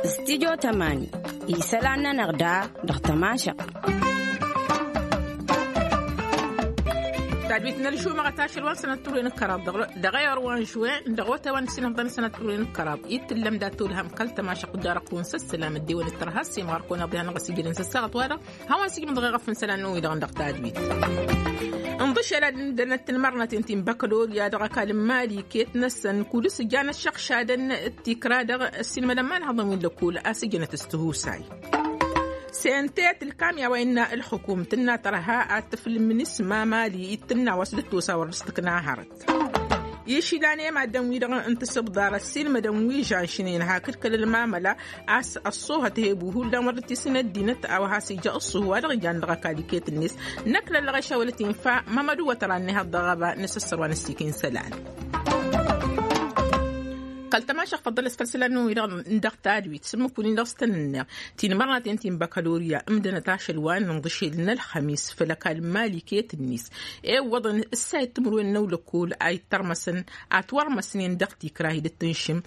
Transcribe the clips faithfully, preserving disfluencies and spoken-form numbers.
Studio tămani isălan-nănăɣ da dăɣ-tămašăɣt. Tadwit n-ălžumăɣăt ašăl wa n-sănăt turwen n-kăraḍ dăɣ-eor wa n-žuwen dăɣ-otewăn s-inăḍăn sănăt turwen n-kăraḍ ittǝllăm dat-olhăm kăl-tămašăɣt jarăɣ-tun s-ăssălam ăddiwăn d-tărha s-imɣăr kăwăn-aḍ ihanăɣ-ăsijădăn s-ăssaɣăt wa-dăɣ. Hawăn-sǝjmǝḍ ɣef n-isălan-năwăn-wi-dăɣ dăɣ-tadwit. Ǝnḍǝšel ad-ǝndănăt tinmărnaten ti n-băkălorya dăɣ-ăkall n-mali iket-năsăn kud-s ǝjjan ăššăɣšadăn d-tikra dăɣ-ăssiilmădăn imanhăḍăn wi n-lăkkol a-s ǝjjănăt s-tihusay. Sente tǝlkam i-a-wa innă ǝlxǝkum tǝnna tărha ad-tǝflǝm n-isma mali ittǝnna wa s-dd-tosa wăr dăɣ-s tǝkna hărăt. Išilan i-maddǝn-wi-dăɣ n-tasǝbḍar ăssiilmădăn wi žanšnen hakd kăl-ălmamăla a-s ăṣṣuhăt hebu hullan wăr dd-tisǝn ăddinăt a-wa has-ija ăṣṣuh wa dăɣ-ijan dăɣ-ăkall iket-net. Năkk lăllăɣ išawălăt infa mămădu wătăra n-ehăḍ dăɣ-ăba n-asăssăr wa n-ăssiik insălan. Kăl-tămašăɣ făḍălăs făll-isălan-năwăn-wi-dăɣ n-dăɣ-tadwit s-ǝmmǝk wǝnnin dăɣ-s tăn-ǝnneɣ tinmărnaten ti n-băkălorya ǝmdănăt ašăl wa n-inḍǝšel n-ălxămis făll-ăkall n-mali iket-net. Iwwăḍăn ǝssayăt timǝrwen n-ăwlăkkol a ittărmăsăn atwărmăsnen dăɣ-tikra hi dd-tǝnšǝm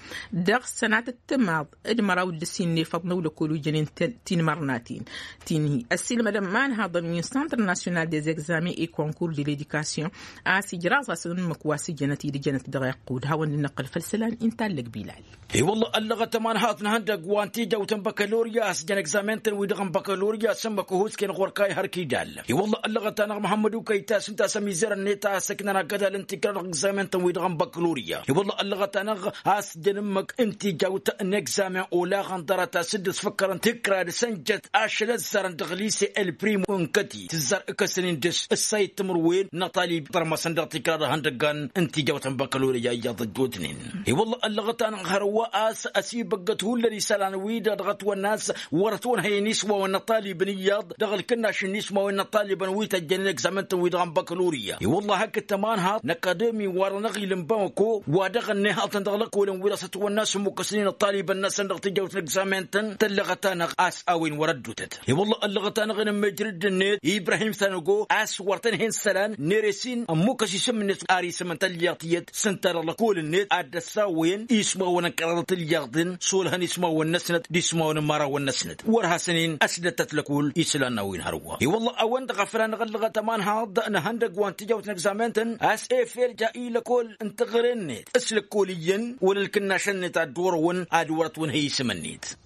dăɣ-sănatăt timaḍ d-măraw d-ǝssin n-efăḍ n-ăwlăkkol wi jănen tinmărnaten ti n-hi ăssiilmădăn imanhaḍăn wi n-centre national des examens et concours de l'education a-s ijraẓ-asăn ǝmmǝk wa s-ǝjjănăt idǝjănăt dăɣ-iqqud hawăn-dd-năqqăl făll-isălan inta ăllăg bilal. I-wălla ăllăɣăt ămanhaḍ n-ihăndăgg wa n-tijawt n-băkălorya a-s jăn egzamen-tăn-wi-dăɣ n-băkălorya s-ǝmmǝk ăhusken ɣur-kayy har kidal. I-wălla ăllăɣăt-anăɣ măhămmăd ukăyta s-ǝnta a-s ămizărăn-net a ăssăknăn agădal n-tikra dăɣ-egzamen-tăn-wi-dăɣ n-băkălorya i-wălla ăllăɣăt-anăɣ a-s jăn ǝmmǝk n-tijawt n-egzamen olaɣăn ḍarăt a-s dd-ăsfăkkărăn tikra dăɣ-săn jăt ašăl ăzzarăn dăɣ-lise el-prim n-kăti tǝzzar ǝkăsăn-in dăɣ-s ǝssayăt timǝrwen n-aṭalib tărmăsăn dăɣ-tikra dăɣ-ihăndăggan n-tijawt n-băkălorya iyyăḍ ăjjootnen. I-wălla ăllăɣăt-anăɣ hărwa a-s ăsibăggăt hullan isălan-wi-dăɣ dăɣ-ătwănna a-s wăr-ătwănhăyăn ismawăn n-aṭalibăn iyyăḍ dăɣ-ǝlkǝnnaš n-ismawăn n-aṭalibăn wi tăjjănen egzamen-tăn-wi-dăɣ n-băkălorya i-wălla hakd tămanhaḍt n-akademi wa-dăɣ n-aɣil n-bamako wa dăɣ-ănnihăḍ-tăn dăɣ-lăkkolăn wi dăɣ-s ătwănna a-s ǝmmukăsnen aṭalibăn-năsăn dăɣ-tijawt n-egzamen-tăn tăllăɣăt-anăɣ a-s a-wen wăr-ăddutăt. I-wălla ăllăɣăt-anăɣ n-ămmijrǝd-net ibrahim tănăgo a-s wăr tăn-hen isălan n-ere s-in ămmukăs isǝm-net ar isǝm n-tălliɣt tiyyăt s-ǝnta dăɣ-lăkol-net ad-dd-ăssawăyăn ismawăn n-kăraḍăt ǝlliɣḍen s-olhăn ismawăn-năsnăt d-ismawăn n-imărawăn-năsnăt wăr hasăn-in ăsdătăt lăkol isălan n-a-wen hărwa. I-wălla a-wen-dăɣ a făl anăɣ-ăllăɣăt ămanhaḍ n-ihăndăgg wa n-tijawt n-egzamen-tăn a-s efel ja i-lăkol n-teɣăre-net s-lăkkol iyyăn wăla ǝlkǝnnašăn-net ad-dd-orăwăn ad-wăr-ătwănhăy isǝm-net.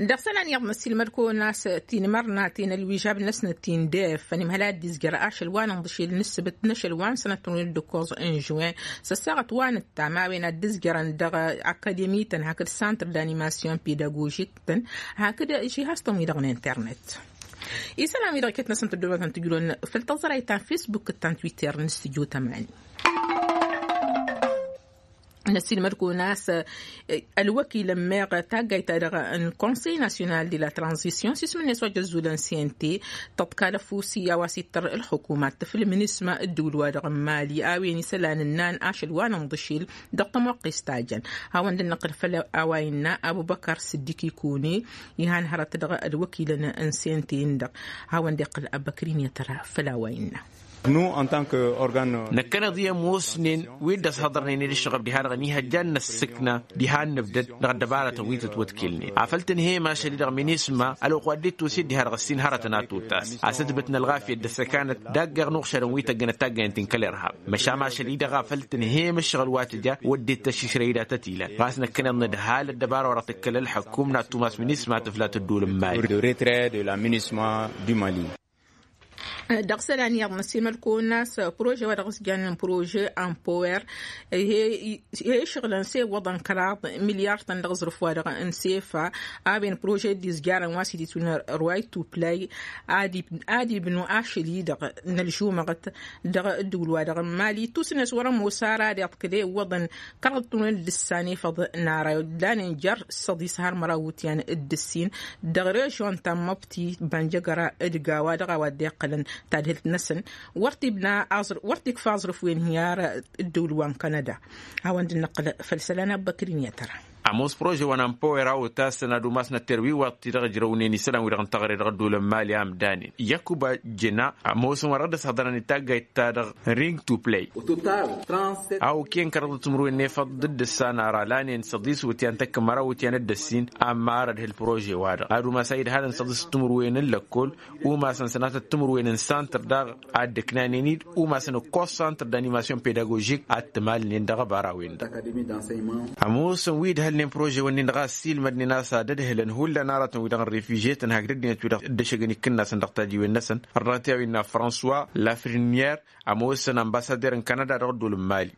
Dăɣ-isălan iyyăḍ n-ăssiilmăd-kăwăn a-s tinmărnaten ălwižab-năsnăt ti n-def ănimhăl ad-dd-izjăr ašăl wa n-inḍǝšel n-ǝssǝbǝt n-ašăl wa n-sănăt n-dd-ǝkkoẓ n-žuwen s-ăssaɣăt wa n-ǝttam a-wen ad-dd-izjărăn dăɣ-akademi-tăn hakd santr d-animasyon pedagožik-tăn hakd žihaz-tăn-wi-dăɣ n-internet. Isălan-wi-dăɣ iket-năsăn tăddobătăn tǝjrăwăn făll-tăẓrayt ta n-fesbuk d-ta n-twitter n-studio tămani. Năssiilmăd-kăwăn a-s ălwăkil ămmeɣ taggayt-ta-dăɣ n-konsey nasyonal de la tranzisyon s-ismǝnnes wa jăzzulăn sente tăḍkal ăfusi a-wa s-ittăr ǝlxǝkum ad-tǝflǝm n-isma ǝddǝwǝl-wa-dăɣ n-mali a-wen isălan ǝnnan ašăl wa n-inḍǝšel dăɣ-tămoqqes ta jăn. Hawăn-dd-năqqǝl făll-a-wa innă abubăkăr sǝddik ikune ihan hărăt dăɣ-ălwăkilăn n-sente-in-dăɣ. Hawăn-dd-iqqǝl abăkrin i-tăra făll-a-wa innă. Năkkăneḍ i-ămoosnen wi dd-ăshăḍărnen i-dd-ǝššăɣăb diha-dăɣ ănihăjja ad-năssǝkna diha ad-nǝbdăd dăɣ-ăddăbarătăn wi tătwătkǝlnen afăl tǝnhăyăm ašăl-i-dăɣ minisma ălwăqq wa dd-ittus-dd diha-dăɣ ăssin hărătăn ad-tutas a-s ǝtbǝtna ălɣafyăt d-ăssăkanăt dagg-eɣ n-uɣšadăn wi tăggănăt taggayăn ti n-kăl-irhab. Măšan ašăl-i-dăɣ a făl tǝnhăyăm ǝššăɣǝl wa tǝja wădden tăššǝšrăy datăt ilan ɣas năkkăneḍ nǝdhal ăddăbara wa dăɣ-tǝkkăl ălḥăkkum n-ad-tumas minisma tǝfla tăddul n-mali. Dăɣ-isălan iyyăḍ n-ăssiilmăd-kăwăn a-s prože wa dăɣ-s jannen prože ampower he-išɣǝlăn s-e-iwwăḍăn kăraḍ milyar-tăn dăɣ-aẓrǝf wa dăɣ-n sefa a-wen prože dd-izjarăn wa s-ititwǝnna ruwayt uplay ad-ibnu ašăl-i-dăɣ n-ălžumăɣăt dăɣ-ǝddǝwǝl wa dăɣ-n mali tusǝnnes wăr-ămoos ara ad-iḍkǝl e-iwwăḍăn kăraḍ tunăl d-ǝssan efăḍ n-ara iwǝdlanen jer-săḍis har măraw wutyan d-ǝssin dăɣ-režyon ta n-măbti bănjăgăra d-gawa dăɣ-a-wa dd-iqqălăn tadhǝlt-năsăn wăr t-ibna wăr t-ikfa aẓrǝf wen hi-ar ǝddǝwǝl wa n-kanăda. Hawăn-dd-năqqǝl făll-isălan abbăkrin i-tăra. Ămoos prože wa n-ampower a otasăn ad-umasnăt terwiwaḍt-i-dăɣ ǝjrăwnen isălan-wi-dăɣ n-teɣăre dăɣ-ăddoolăn mali a ǝmdanen. Yăkuba jena ămoosăn wa dăɣ-dd-ăshăḍărăn i-taggayt-ta-dăɣ ring to play. A okăyăn kăraḍăt timǝrwen n-efăḍ dd-ǝssan ara lanen săḍis wǝtyan tăkk măraw wǝtyan dd-ăssin. Amma ar ădhǝl prože-wa-dăɣ ad-umas a idhalăn săḍis timǝrwen n-lăkkol. Umasăn sănatăt timǝrwen n-santăr daɣ ad-dd-ǝknanen-dd umasăn ǝkkoẓ santăr d-animasyon pedagožik ad-t-malnen dăɣ-ăbara-wen-dăɣ. Ămoosăn wi ǝdhălnen prože-wăn-in-dăɣ a ăssiilmădnen a-s ad-ădhǝlăn hullan aratăn-wi-dăɣ n-refijyetăn hakd ăddinăt-wi-dăɣ dd-ăššăgăn ikǝnnasăn dăɣ-tajiwen-năsăn. Ărrăt i-a-wen-innă françois lafrinier. Ămoosăn ănbasader n-kanada dăɣ-ăddol n-mali.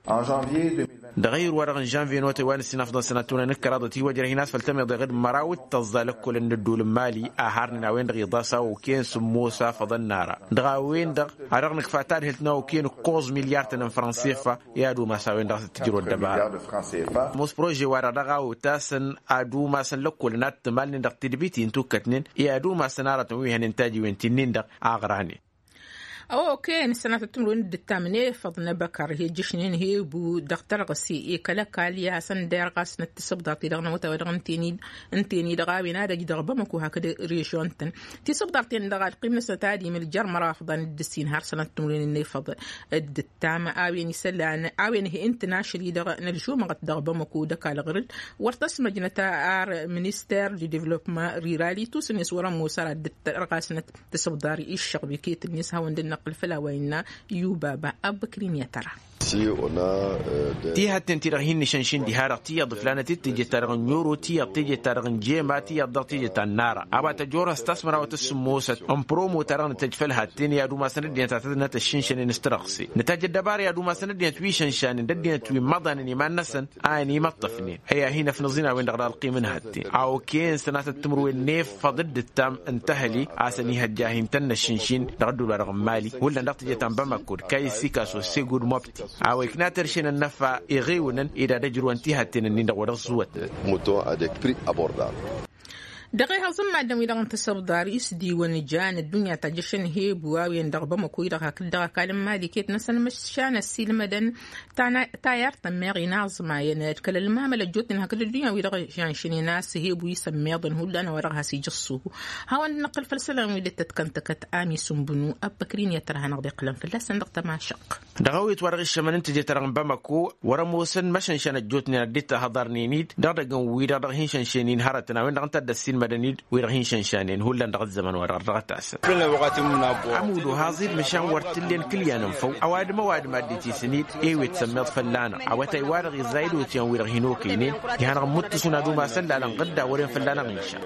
Dăɣ-ayǝr-wa-dăɣ n-žănvye n-otay wa n-ǝssin afḍăn sănăt-tăwănăn d-kăraḍăt iwăjrăh-in a-s făll-tămiḍe ɣǝd măraw d-tăẓẓa lăkkolăn n-ăddol n-mali a harnen a-wen-dăɣ iḍas a okăyăn sǝmmos afăḍăn n-ara. Dăɣ-a-wen-dăɣ a dăɣ-nǝkfa tadhǝlt n-a okăyăn ǝkkoẓ milyar-tăn n-fransefa. I-ad-umas a-wen-dăɣ a s-dd-tǝjrăw ăddăbara. Ămoos prože-wa-dăɣ daɣ a otasăn ad-umasăn lăkkolăn ad-t-malnen dăɣ-tidbit-i n-tukkătnen. I-ad-umasăn aratăn wi hănen tajiwen ti-nin-dăɣ a ăɣranen. Ăwo okăyăn s-sănatăt timǝrwen d-ǝttam n-efăḍ n-ebăkăr he ǝjjǝšnen hebu dăɣ-tărɣǝse i-kăl-ăkall i-ad-hasăn-dd-irɣasnăt tisǝbḍart-i-dăɣ n-awătay wa dăɣ-ǝnten-i-dăɣ a-wen ad-ăj dăɣ-bamăko hakd režion-tăn. Tisǝbḍart-en-dăɣ alqim-năsnăt ad-imǝl jer-măraw afḍăn d-ǝssin har sănatăt timǝrwen n-efăḍ d-ǝttam a-wen isălan a-wen he-ǝntăn ašăl-i-dăɣ n-ălžumăɣăt dăɣ-bamăko d-ăkall ɣur-dd. Wăr tăsmăjnăt ar minister d-devlopma rural itusǝnnes wăr-ămoos ara dd-tărɣasnăt. Tǝsǝbḍar iššăɣb iket-net hawăn-dd-năqqǝl făll-a-wa innă. Yubaba ăbbăkrin i-ad-tăra. Tihătten-ti-dăɣ hin-nǝšănšin diha-dăɣ tiyyăḍ ǝflanăt-dd teje-ta-dăɣ n-yoro tiyyăḍ teje-ta-dăɣ n-jema tiyyăḍ dăɣ-teje ta n-nara a-wa tăjorăs tasmărawăt s-sǝmmosăt n-promo-ta-dăɣ nǝtăj făll-hatten i-ad-umasăn ăddinăt a tădnăt ăššǝnšănen s-tărɣse. Nǝtăj ăddăbara i-ad-umasăn ăddinăt wi šănšanen d-ăddinăt wi n-imăḍanen iman-năsăn a ănimăṭṭăfnen. Ăyy-ahi n-ăfnăẓ-in a-wen-dăɣ d-alqim n-hătten a okăyăn sănatăt timǝrwen n-efăḍ dd-ǝttam n-tăhăli a-s ănihăjja a hin-tăn-năššǝnšin dăɣ-ădduul-wa-dăɣ n-mali hullan dăɣ-teje ta n-bamăko d-kayǝsikaso segud mobti. A-wa ikna terše n-ănnăfa iɣewǝnăn ed ad-ăjrǝwăn tihătten-ǝnnin-dăɣ wa dăɣ-ăẓẓuwătnăt. Mouton avec prix abordable. Dăɣ-ehăẓ n-maddǝn-wi-dăɣ n-tisǝbḍar isdiwăn jan ăddunya ta jăšăn hebu a-wen dăɣ-bamăko-i-dăɣ hakd dăɣ-ăkall n-mali iket-năsăn măšan ăssiilmădăn. Tayărt tămmeɣ inaẓmayăn d-kăl-ălmamăl ăjjootnen hakd ăddunya-wi-dăɣ žănšnen a-s hebu isămmeḍăn hullan a-wa dăɣ-has-ija ăṣṣuhu. Hawăn-dd-năqqǝl făll-isălan wi dd-tătkăntăkăt ami s-ǝnbǝnu ăbbăkrin i-ad-tărha-năɣ d-iqqǝlăn fălla-săn dăɣ-tămašăq. Dăɣ-awet wa dăɣ-iššămăn n-teje-ta-dăɣ n-bamăko wăr-ămoosăn măšănšan ăjjootnen ad-dd-tahăḍarnen-dd dăɣ-idăgg n-wi-dăɣ dăɣ-hin-šănšen-in hărătăn a-wen-dăɣ ǝnta a dd-ăssiilmădăn-dd wi-dăɣ hin-šănšanen hullan dăɣ-ăzzăman-wa-dăɣ dăɣ-tasăn. Ămudo haẓ-dd măšan wăr t-ǝllen kǝlyan ǝnfăw ăwadǝm ăwadǝm ad-dd-itisǝn-dd. Ewet sămmeḍ fălla-năɣ awătay-wa-dăɣ iẓẓay d-otyan wi-dăɣ hin-okăynen. Ih'-anăɣ ǝmmǝttǝsǝn ad-umasăn lalăn ɣǝdda wăren fălla-năɣ inša.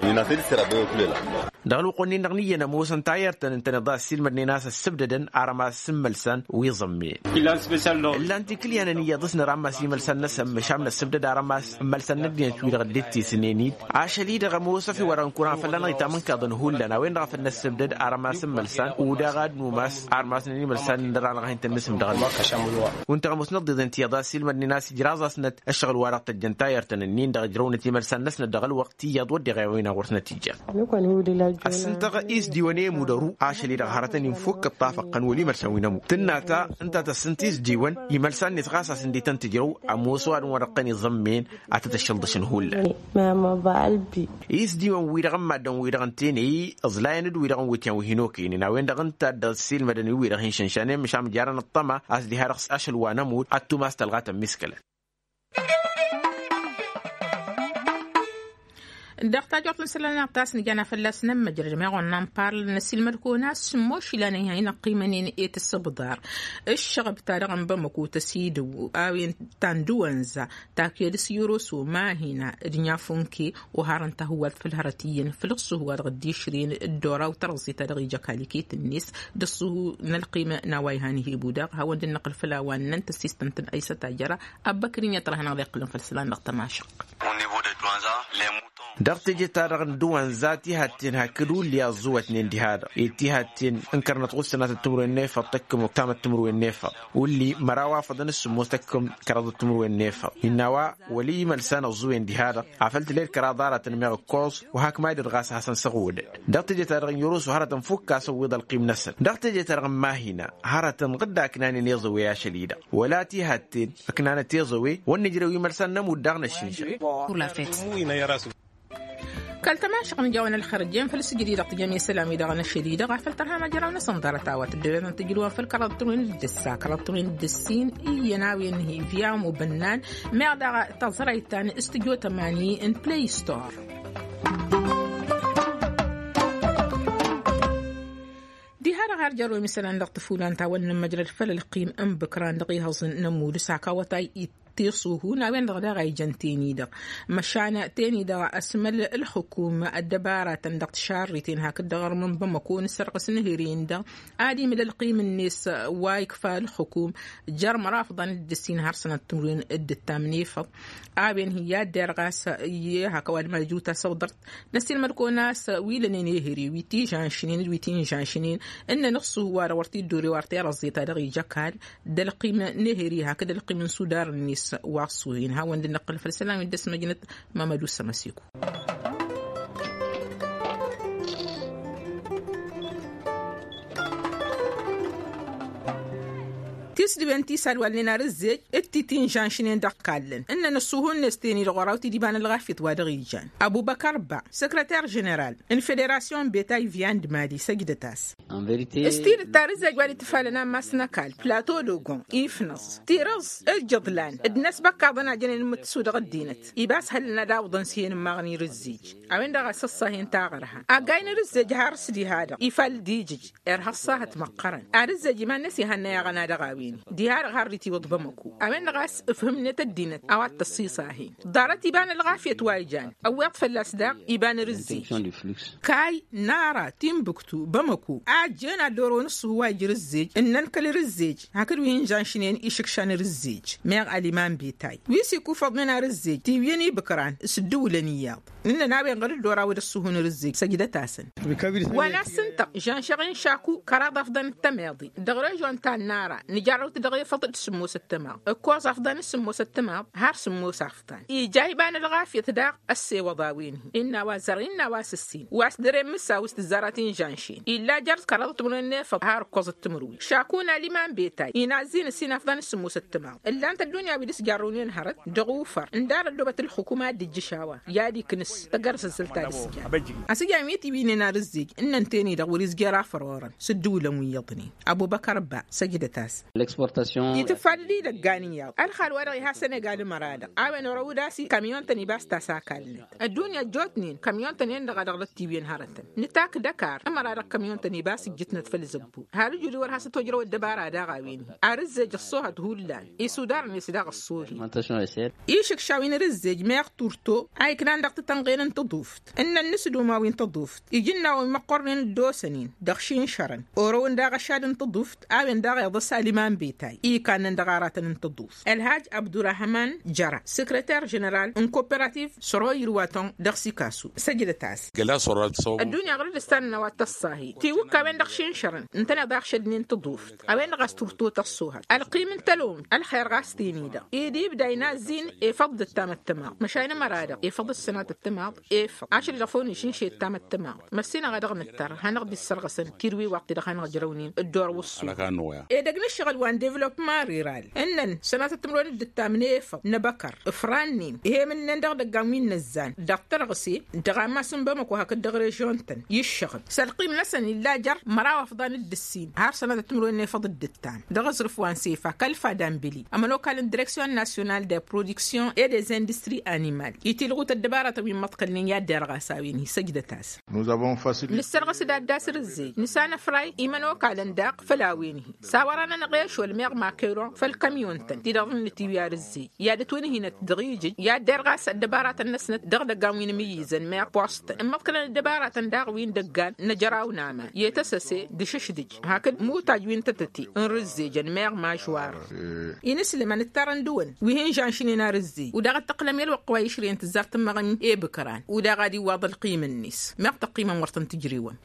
Dăɣ-ălwăqq-nin-dăɣ n-iyyăn ămoosăn tayărt-tăn ǝntăneḍ a ăssiilmădnen a-s ăssǝbdădăn arămas n-imălsan wi ẓămmăyăn. Ǝllan-t ikǝlyanăn iyyăḍ s-nărammas imălsan-năsăn măšan năssǝbdăd arămas n-imălsan n-ăddinăt-wi-dăɣ dd-ittisnen-dd. Ašăl-i-dăɣ ămoos ăfi wăr-ănkuran fălla-năɣ itamǝnkăḍăn hullan a-wen-dăɣ a făl năssǝbdăd arămas n-imălsan udaɣ ad-numas armas n-imălsan n-dăr-anăɣ a hin-tăn-nǝsǝm dăɣ-ălwăqq. Kunta ămoos năḍḍiḍen tiyyăḍ a ăssiilmădnen a-s ijraẓ-asnăt ăššăɣǝl-wa-dăɣ tăjjăn tayărt-tăn-ǝnnin dăɣ-ijrăwnăt imălsan-năsnăt dăɣ-ălwăqq tiyyăḍ wădden a-wen-dăɣ wăr tăn-ătija. Ăssintăɣ isdiwăn i-imudăru ašăl-i-dăɣ hărătăn-in fukk ǝṭṭafăɣ-tăn wăl' imălsan wi n-ămudd tǝnna ta ǝnta tăssǝnt isdiwăn imălsan-net ɣas a-s ǝndi tăn-tǝjrăw. Ămoos ăwadǝm wa dăɣ-tăn-iẓămmăyăn ad-tăt-ăššălḍăšăn hullan. Isdiwăn-wi-dăɣ n-maddǝn-wi-dăɣ ǝnta enăy ǝẓlayăn d-wi-dăɣ n-wǝtyan wi hin-okăynen a-wen-dăɣ ǝnta a dd-ăssiilmădăn i-wi-dăɣ hin-šănšanen măšan ǝjarăn ăṭṭăma a-s diha-dăɣ s-ašăl wa n-ămudd ad-tumas tălɣa tămmiskălăn. Dăɣ-tajort n-isălan-nănăɣ ta s-nǝjana fălla-s n-ămmăjrăd meɣ wănna n-parl n-ăsiilmăd kăwăn-asǝmmos ilan i-inăqqimănen i-tǝssǝbḍar. Ǝššăɣăb-ta-dăɣ n-bamăko tăsidăw a-wen ta n-dăwănza ta ked s-yoroso mahina d-nyafunke. Oharăn tahǝwwalt făll-hărăt iyyăn făll-ǝṣṣuhu wa dăɣ-dd-išrǝyăn dd-oraw tărẓe-ta-dăɣ ija kaliket-net d-ǝṣṣuhu n-ălqim n-a-wa ihan hebu daɣ hawăn-dd-năqqǝl făll-a-wa ǝnnăn tăssistăn-tăn aysăt ajăra. Ăbbăkrin i-ad-tărha hanăɣ-dd-iqqǝlăn făll-isălan dăɣ-tămašăq. Dăɣ-teje-ta-dăɣ n-dăwăn za tihatten hakd ulli aẓẓuwătnen diha-dăɣ i-tihatten n-kărnăt ɣur-sănatăt timǝrwen n-efăḍ tăkkǝm tamăt timǝrwen n-efăḍ ulli măraw afăḍăn s-sǝmmos tăkkǝm kăraḍăt timǝrwen n-efăḍ innă a-wa wăla imălsan ăẓẓuwen diha-dăɣ afăl tǝled kăraḍ aratăn meɣ ǝkkoẓ. Wa hakmadăt ɣas a hasăn-săɣwădăd dăɣ-teje-ta-dăɣ n-irusu hărătăn fukk a-s ăwwiḍ ălqim-năsăn dăɣ-teje-ta-dăɣ n-mahina hărătăn ɣǝdda ăknanen iẓăwe ašăl-i-dăɣ wăla tihatten ǝknanăt iẓăwe wăr nǝjrew imălsan n-ămudd daɣ n-ăššinšăɣ. Kăl-tămašăɣ n-ijawăn ălxărăt jen făll-sǝjǝd-i-dăɣ tǝjăm i-isălam-i-dăɣ n-ašăl-i-dăɣ afăl tărha măjraw-năsăn ḍarăt a-wa tăddăwet n-tǝjrǝwăn făll-kăraḍăt timǝrwen d-ǝssa kăraḍăt timǝrwen d-ǝssin iyyăn a-wen hi-viyam ubǝnnan. Meɣ daɣ taẓrayt ta n-studio tămani n-play store. Diha-dăɣ har jărrăw i-mǝsălan dăɣ-tǝfulan ta wăr nǝmmăjrăd făll-ălqim n-ibǝkran dăɣ-ihăẓ n-ămud s-hak awătay. Tiṣuhun a-wen-dăɣ daɣ a ijăn teni-dăɣ măšan teni-dăɣ ăsmăl ǝlxǝkum ăddăbaratăn dăɣ-tišarriten hakd dăɣ-armǝn bamăko n-sărɣǝs n-ehăre-in-dăɣ ad-imǝl ălqim-net wa ikfa ǝlxǝkum. Jer-măraw afḍăn d-ǝssin har sănat timǝrwen d-ǝttam n-efăḍ a-wen hi-i ad-derɣ a-s i-hak ăwadǝm ad-ǝjrǝw tasăwḍărt. Năssiilmăd-kăwăn a-s wi lănen ehăre wi tižănšnen d-wi tinžănšnen ǝnnăn ǝṣṣuhu-wa-dăɣ wăr t-dd-ore wa ărtăy arăẓẓe-ta-dăɣ ija ăkall d-ălqim n-ehăre hakd ălqim n-sudar-net. Wa ăṣṣuhin hawăn-dd-năqqǝl făll-isălan wi dd-ăsmăjnăt mamădu s-ămăsiku. Tisdǝwen ti s-ad-walnen ar ǝzzej d-ti tinžănšnen dăɣ-kallăn ǝnnăn ǝṣṣuhu-net teni-dăɣ oraw-t-dd iba n-ălɣafyăt wa dăɣ-ijan. Ăbubăkăr ba săkrăter ženeral n-federasyon n-betay viyan d-mali săjdăt-as. S-tidǝt ar ǝzzej wa d-itǝfalăn ammas n-ăkall plato d-ogon ifnăẓ tirǝẓ ǝjjǝḍlan d-inăsbăkkaḍăn a jănen imǝttǝsu dăɣ-ăddinăt. Iba s-hăllăn ad-awǝḍăn s-hen ǝmmaɣăn irǝzzej a-wen-dăɣ a-s ăṣṣahen taɣărha aggay n-irǝzzej har s-diha-dăɣ ifal d-ijǝj. Irha ăṣṣahăt măqqărăn ar ǝzzej iman-net ihănnăy aɣăna dăɣ-a-wen-hi diha-dăɣ har dd-itiwǝḍ bamăko a-wen-dăɣ a-s ǝfhǝmnet ăddinăt a-wa t-tăṣṣiṣahen. Ḍarăt iba n-ălɣafyăt wa ijan ăwweḍ fălla-s daɣ iba n-irǝzzej. Kay nara timbuktu bamăko a ăjjeen ad-dd-orăwăn ǝṣṣuhu wa ija irǝzzej ǝnnăn kăl-irǝzzej hakd wi hin-žănšnen išǝkšan irǝzzej. Meɣ aliman betay wi s-ikufăḍnen arǝzzej tiwǝyăn ibǝkran s-ǝddǝwǝlăn iyyăḍ. Ǝnnăn a-wen ɣur-dd-oraw d-ăṣṣuhu n-irǝzzej săjdăt-asăn. Wa n-ad-sǝntăɣ žănšăɣ-in šaku kăraḍ afḍăn d-tămeḍe dăɣ-režon ta n-nara nǝjarrăw-t dăɣ-efăḍ d-sǝmmosăt tămaḍt ǝkkoẓ afḍăn d-sǝmmosăt tămaḍt har sǝmmos afḍăn ija iba n-ălɣafyăt daɣ. Ăssewăḍ a-wen-hi innă a-wa zărăn innă a-wa s-ǝssin wa s-dăr-e n-mǝssaw s-tǝzzarăt inžănšen illa jer-s kăraḍăt timǝrwen n-efăḍ har ǝkkoẓăt timǝrwen šaku n-aliman betay inazzin ǝssin afḍăn d-sǝmmosăt tămaḍt ǝllan-t ăddunya wi d-s jarrăwnen hărăt dăɣ-ufăr ǝndarăt dăwăt ǝlxǝkum ad-dd-ijjǝš a-wa i-ad-iknǝs tăggăr asǝzzăl ta dăɣ-s. Asǝjam wi tiwǝynen arǝzzej ǝnnăn teni-dăɣ wăr-izjăr afărorăn s-ǝddǝwǝlăn wi iyyăḍnen. Ăbubăkăr ba săjdăt-as. Itǝffalăl idăggan iyyăḍ ălxal-wa-dăɣ iha sănegal ǝmăra-dăɣ a-wen orăw-dd a-s i-kamyon-tăn ibas ta s-akallnăt. Ăddunya ăjjootnen kamyon-tăn-en-dăɣ a dăɣ-dd-tiwǝyăn hărătăn nǝtak d-ăkar ǝmăra dăɣ-kamyon-tăn ibas ǝjjǝtnăt făll-zăbbu har ǝjud-i wăr has-ătojrăw ăddăbara daɣ a-wen-hi. Ar ǝzzej ăṣṣoohăt hullan isudar-net daɣ ăṣṣoohi. Išǝkša wi n-arǝzzej meɣ turto a iknan dăɣ-titănɣen n-tăḍuft ǝnnăn n-asdum a-wi n-tăḍuft ijǝnnaw wi măqqornen dd-osănen dăɣ-išinšărăn orăwăn daɣ ăšad n-tăḍuft. A-wen daɣ iḍǝs aliman betay ikannăn dăɣ-aratăn n-tăḍuft ălhaj abdurahman jăra săkrăter ženeral n-koperativ săro irwaton dăɣ-sikasu săjdăt-as. Ăddunya ɣur-dd-ǝssanăn a-wa t-ăṣṣahi tiwǝkkawen dăɣ-išinšărăn ǝntăneḍ a ăɣšădnen tăḍuft a-wen-dăɣ a-s turtot ăṣṣuhăt ălqim n-tălom ălxer ɣas teni-dăɣ. Ed ibda inazzin efăḍ d-ăttam ăttămaḍ măšan ămăra-dăɣ efăḍ d-sănat ăttămaḍ efăḍ ašăl-i-dăɣ făw n-išǝnše ăttam ăttămaḍ. Măssinăɣ a dăɣ-nǝttăr ad-hanăɣ-dd-issărɣăsăn tirǝwi waqti-dăɣ hanăɣ-jărăwnen dd-orăw ǝṣṣu. Ed ăgg n-ǝššăɣǝl wa n-devălopman rural ǝnnăn sănatăt timǝrwen d-ǝttam n-efăḍ n-ebăkăr ǝfrannen ihemǝlnen dăɣ-idăggan wi n-inăzzan dăɣ-tărɣǝse dăɣ-ammas n-bamăko hakd dăɣ-režion-tăn i-ǝššăɣǝl s-ălqim-năsăn illa jer-măraw afḍăn d-ǝssin har sănatăt timǝrwen n-efăḍ d-ǝttam dăɣ-aẓrǝf wa n-sefa kăl-fadambili ămănokal n-direksyon nasyonal de produksyon e des industri animal itilɣut ăddăbaratăn wi n-imăḍkălnen i-ad-derɣas a-wen-hi săjdăt-as. Nǝssărɣǝs d-ad-dd-asrǝzzej nǝsanăfray imănokalăn daɣ făll-a-wen-hi s-a-wărăn anăɣ-ešol meɣ makeron făll-kamyon-tăn ti dăɣ-nǝtiwi arǝzzej i-ad-ătwǝnhǝynăt dăɣ-ijǝj i-ad-derɣas ăddăbaratăn-năsnăt dăɣ-idăggan wi n-imǝyyǝzăn meɣ post ǝmmăḍkălăn ăddăbaratăn daɣ wi n-idăggan n-ajăraw n-aman i-tăsăse d-išǝšdǝj hakd mutaj wi n-tătăte n-rǝzzejăn meɣ mažwar. Inǝslǝm ad-nǝttarăn dăɣ-wăn wi hin-žănšnen arǝzzej u-daɣ ăttăqlăm i-ălwăqq wa išrǝyăn tǝzzar tǝmmăɣăn. Kăran udaɣ ad-iwwaḍ ălqim-net meɣ tăqqimăn wăr tăn-tǝjrewăm.